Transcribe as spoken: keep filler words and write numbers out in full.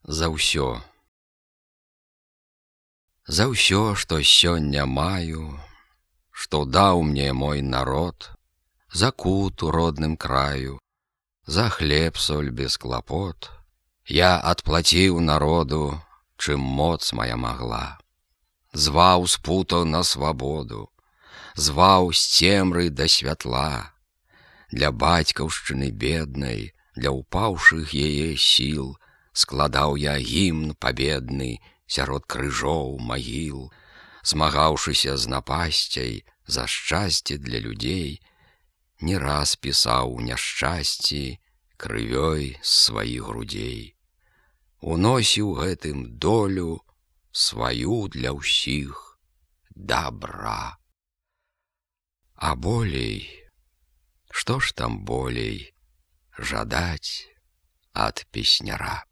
За ўсё. За ўсё, што сёння маю, што даў мне мой народ, за кут у родным краю, за хлеб соль без клапот, я адплаціў народу, чым моц моя магла. Зваў з путаў на свабоду, зваў з цемры да святла. Для бацькаўшчыны беднай, для упаўшых яе сіл складаў я гімн пабедны сярод крыжоў магіл, змагаўшыся з напасцяй за шчасце для людзей, не раз пісаў у няшчасці крывёй з сваіх грудзей. Уносіў гэтым долю сваю для ўсіх добра. А болей, што ж там болей жадаць ад песняра?